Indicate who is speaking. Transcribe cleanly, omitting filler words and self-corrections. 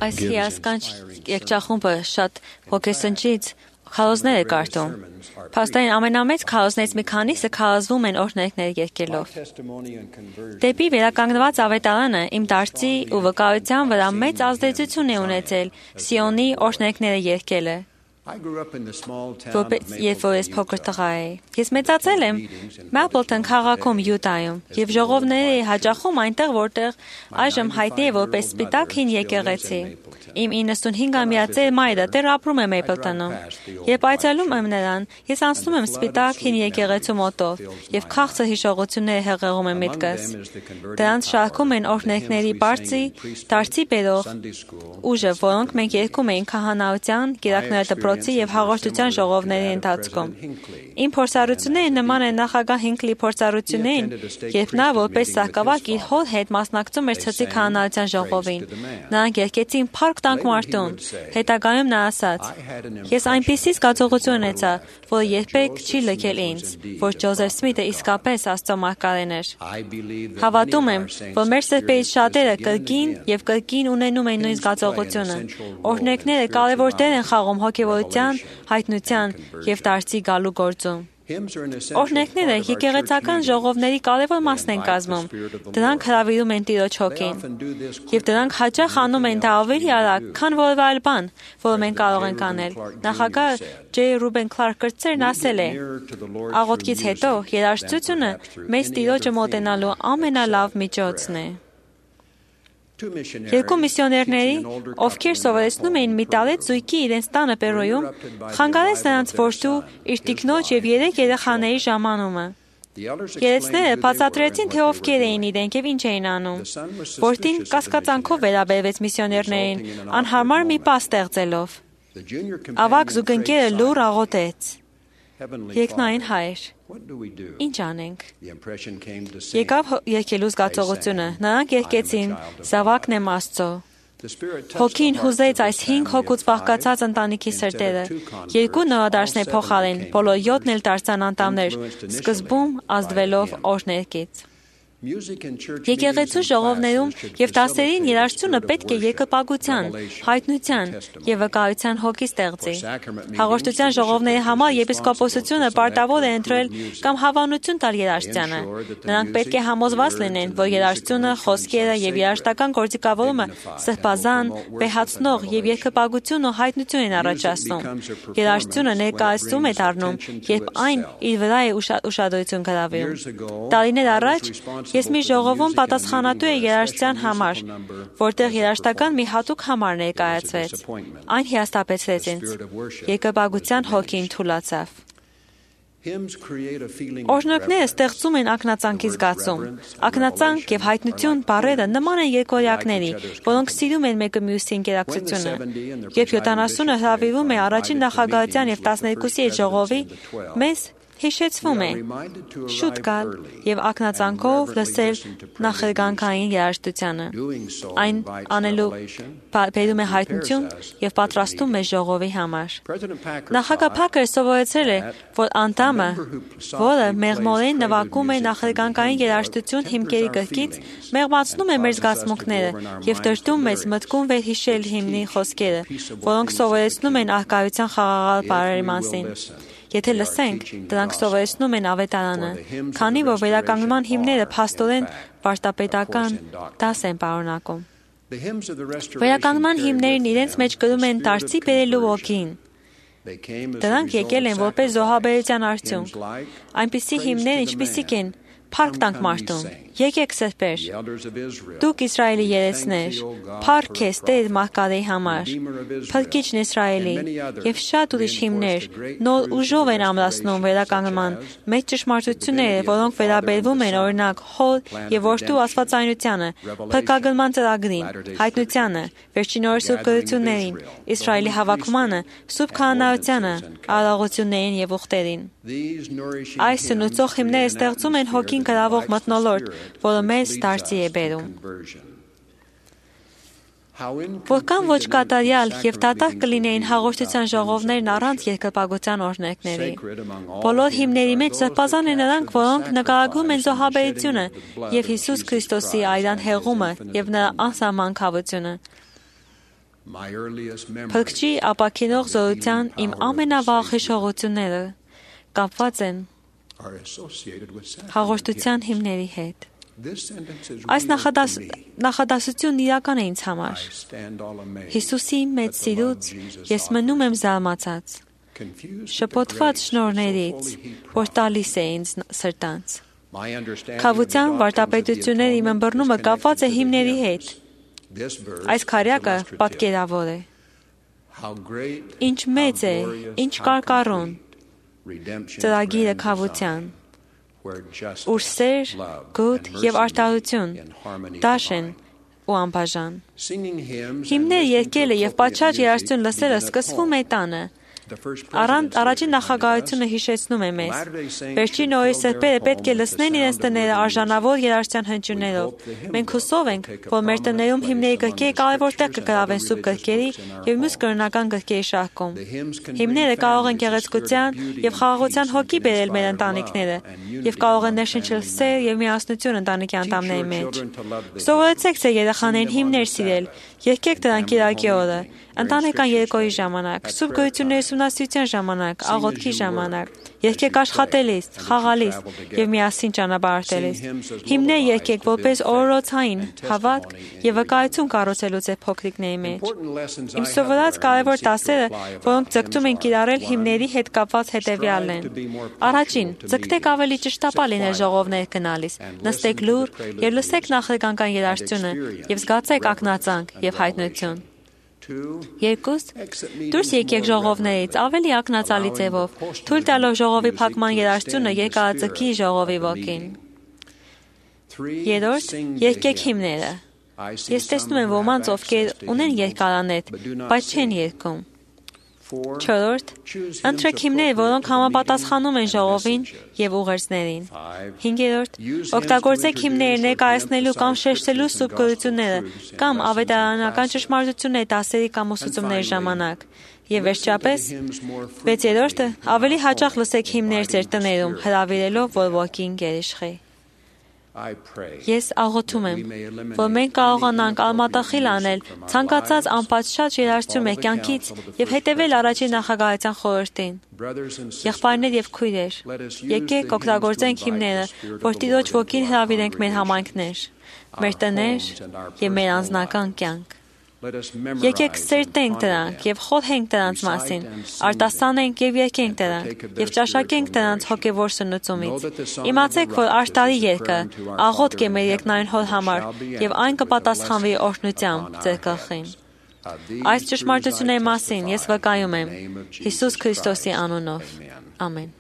Speaker 1: Այս հիասքանչ երգչախումբը շատ ոգեսնչից քարոզներ է կարդում։ Փաստորեն ամենամեծ քարոզներից մի քանիսը քարոզվում են օրհներգներ երգելով։ Դեպի վերականգնված ավետարանը իմ դարձի ու վկայության վրա մեծ ազդեցություն է ունեցել Սիոնի օրհներգները երգելը։ Երբ որ ես փոքր տղա էի, ես մեծացել եմ Մապլտոն քաղաքում Յուտայում եւ ժողովները հաճախում այնտեղ, որտեղ այժմ հայտնի է որպես Սպիտակ հին եկեղեցի։ Իմ 95-ամյա ծեր մայրը դեռ ապրում է Մապլտոնում։ Երբ այցելում եմ նրան, ես անցնում եմ Սպիտակ հին եկեղեցու մոտով եւ քաղցր հիշողությունները հեղեղում եմ միտքս։ Դրանց շարքում են օրհներգների բարձի, դարձի բերող ուժը, որոնք մենք երգում էինք քահանայության, գերակները դպրոցի եւ հաղորդության ժողովների ընթացքում։ Իմ փորձառությունները նման են նախագահ Հինքլի փորձառություններին, երբ նա որպես սահկավակ իր հոր հետ մասնակցում էր ցծի քահանայության ժողովին։ Նրանք երգեցին «Փառք տանք մարդուն»։ Հետագայում նա ասաց. «Ես այնպիսի զգացողություն ունեցա, որ երբեք չի լքել ինձ, որ Ջոզեֆ Սմիթը իսկապես Աստծո մարգարեն էր»։ Հավատում եմ, որ մեր սրբերից շատերը կրկին ունենում են նույն զգացողությունը։ Օրհներգները կարևոր դեր են խաղում հոգևորության, հայտնության եւ դարձի գալու գործում։ Օրհներգները եկեղեցական ժողովների կարևոր մասն են կազմում։ Դրանք հրավիրում են Տիրոջ հոգին։ Եվ դրանք հաճախ անում են դա ավելի արագ, քան որևէ այլ բան, որը մենք կարող ենք անել։ Նախագահ Ջ. Ռուբեն Քլարկ կրտսերն ասել է. «Աղոթքից հետո երաժշտությունը մեզ Տիրոջը մոտենալու ամենալավ միջոցն է»։ Երկու միսիոներների, ովքեր սովորեցնում էին մի տարեց զույգի իրենց տանը Պերոյում, խանգարեց նրանց որդու իր տիկնոջ եւ 3 երեխաների ժամանումը։ Երեցները բացատրեցին, թե ովքեր էին իրենք եւ ինչ էին անում։ Որդին կասկածանքով վերաբերվեց միսիոներներին, անհարմար մի պահ ստեղծելով։ Ավագ զուգընկերը լուռ աղոթեց. «Երկնային Հայր, ինչ անենք»։ Եկավ երգելու զգացողությունը։ Նրանք երգեցին «Զավակն եմ Աստծո»։ Հոգին հուզեց այս 5 հոգուց բաղկացած ընտանիքի սրտերը։ 2 նորադարձներ փոխարեն, բոլոր 7-ն էլ դարձան անդամներ, սկզբում ազդվելով օրհներգից։ Եկեղեցու ժողովներում եւ դասերին երաժշտությունը պետք է երկրպագության, հայտնության եւ վկայության հոգի ստեղծի։ Հաղորդության ժողովների համար եպիսկոպոսությունը պարտավոր է ընտրել կամ հավանություն տալ երաժշտությանը։ Նրանք պետք է համոզված լինեն, որ երաժշտությունը, խոսքերը եւ երաժշտական գործիքավորումը սրբազան, վեհացնող եւ երկրպագություն ու հայտնություն են առաջացնում։ Երաժշտությունը ներկայացում է դառնում, երբ այն իր վրա է ուշադրություն գրավում։ Տարիներ առաջ ես մի ժողովում պատասխանատու էի երաժշտության համար, որտեղ երաժշտական մի հատուկ համար ներկայացվեց։ Այն հիասթափեցրեց ինձ։ Երկրպագության հոգին թուլացավ։ Օրհներգները ստեղծում են ակնածանքի զգացում։ Ակնածանք եւ հայտնություն բառերը նման են երկորյակների, որոնք սիրում են մեկը մյուսի ինտերակցիոնը։ Երբ 70-ը հրավիրում է առաջին նախագահության եւ 12-ի հետ ժողովի, մեզ հիշեցվում է շուտ գալ եւ ակնածանքով լսել նախերգանքային երաժշտությանը։ Այն անելու բերում է հայտնություն եւ պատրաստում է ժողովի համար։ Նախագահ Փակերը սովորեցրել է, որ անդամը, որը մեղմորեն նվագում է նախերգանքային երաժշտություն հիմքերի գրքից, մեղմացնում է մեր զգացմունքները եւ դրդում մեզ մտքում վերհիշել հիմնի խոսքերը, որոնք սովորեցնում են առկայության խաղաղալ բառերի մասին։ Եթե լսենք, դրանք սովորեցնում են ավետարանը, քանի որ վերականգնման հիմները փաստորեն վարդապետական դաս են պարունակում։ Վերականգնման հիմներն իրենց մեջ կրում են դարձի բերելու ոգին։ Դրանք եկել են որպես զոհաբերության արդյունք։ Այնպիսի հիմներ, ինչպիսիք են «Փառք տանք մարդուն», «Եկեք սրբեր», «Դուք Իսրայելի երեցներ», «Փառք քեզ Տեր մարգարեի համար», «Փրկիչն Իսրայելի» եւ շատ ուրիշ հիմներ նոր ուժով են ամրացնում վերականգնման մեծ ճշմարտությունները, որոնք վերաբերվում են օրինակ Հոր եւ Որդու աստվածայնությանը, փրկագնման ծրագրին, հայտնությանը, վերջին օրը սուրբ գրություններին, Իսրայելի հավաքմանը, սուրբ քահանայությանը, արարողություններին եւ ուխտերին։ Այս սնուցող հիմները ստեղծում են հոգին գրավող մթնոլորտ, որը մեզ դարձի է բերում։ Որքան ոչ կատարյալ եւ դատարկ կլինեին հաղորդության ժողովներն առանց երկրպագության օրհներգների։ Բոլոր հիմների մեջ զրպազան են նրանք, որոնք նկարագրում են զոհաբերությունը եւ Հիսուս Քրիստոսի այրան հեղումը եւ նրա անսահման քավությունը։ Փրկչի ապաքինող զորության իմ ամենավաղ հիշողությունները կապված են հաղորդության հիմների հետ։ Այս նախադասությունն իրական է ինձ համար։ Հիսուսի մեծ սիրուց ես մնում եմ զարմացած, շփոթված շնորհներից, որ տալիս է ինձ սրտանց։ Քավության վարդապետությունների իմ ըմբռնումը կապված է հիմների հետ։ Այս քարյակը պատկերավոր է։ Ինչ մեծ է, ինչ կարկառուն ծրագիրը քավության, ուր սեր, գոթ եւ արդարություն դաշ են ու անբաժան։ Հիմներ երգելը եւ պատշաճ երաժշտություն լսելը սկսվում է տանը։ Առաջին նախագահությունը հիշեցնում է մեզ։ Վերջին օրերի սրբերը պետք է լցնեն իրենց տները արժանավոր երաժշտության հնչյուններով։ Մենք հուսով ենք, որ մեր տներում հիմների գրքերը կարևոր տեղ կգրավեն սուրբ գրքերի եւ մյուս կրոնական գրքերի շարքում։ Հիմները կարող են գեղեցկության եւ խաղաղության հոգի բերել մեր ընտանիքները եւ կարող են ներշնչել սեր եւ միասնություն ընտանիքի անդամների մեջ։ Սովորեցեք ձեր երեխաներին հիմներ սիրել, երգեք դրանք Կիրակի օրը, ընտանեկան երեկոյի ժամանակ, սուրբ գոյությունների ուսումնասիրության ժամանակ, աղոթքի ժամանակ, երգեք աշխատելիս, խաղալիս եւ միասին ճանապարհորդելիս։ Հիմներ երգեք որպես օրորոցային հավատք եւ վկայություն կառուցելու ձեր փոքրիկների մեջ։ Իմ սովորած կարևոր դասերը, որոնք ձգտում են կիրառել հիմների հետ կապված հետեւյալն են։ Առաջին, ձգտեք ավելի ճշտապահ լինել ժողովներ գնալիս, նստեք լուռ եւ լսեք նախնական երաժշտությունը եւ զգացեք ակնածանք եւ հայտնություն։ Երկուս, դուրս եկեք ժողովներից ավելի ակնածալի ձևով, թույլ տալով ժողովի փակման երաժշտությունը երկարաձգի ժողովի ոգին։ Երրորդ, երգեք հիմները։ Ես տեսնում եմ ոմանց, ովքեր ունեն երկարանետ, բայց չեն երգում։ Չորրորդ, ընտրեք հիմներ, որոնք համապատասխանում են ժողովին եւ ուղերձներին։ Հինգերորդ, օգտագործեք հիմները ներկայացնելու կամ շեշտելու սուրբ գոյությունները կամ ավետարանական ճշմարտությունների դասերի կամ ուսուցումների ժամանակ։ Եվ վերջապես, վեցերորդը, ավելի հաճախ լսեք հիմներ ձեր տներում, հրավիրելով, որ ոգին գերիշխի։ Ես աղոթում եմ, որ մենք կարողանանք արմատախիլ անել ցանկացած անպատշաճ երաժշտություն մեր կյանքից եւ հետեւել առաջին նախագահության խորհրդին։ Եղբայրներ եւ քույրեր, եկեք օգտագործենք հիմները, որ Տիրոջ ոգին հրավիրենք մեր համայնքներ, մեր տներ եւ մեր անձնական կյանք։ Եկեք սերտենք դրանք եւ խորհենք դրանց մասին, արտասանենք եւ երգենք դրանք եւ ճաշակենք դրանց հոգեվոր սնուցումից։ Իմացեք, որ արտարի երգը աղոթք է մեր երկնային Հոր համար եւ այն կպատասխանվի օրհնությամբ ձեր գլխին։ Այս ճշմարտությունների մասին ես վկայում եմ Հիսուս Քրիստոսի անունով։ Ամեն։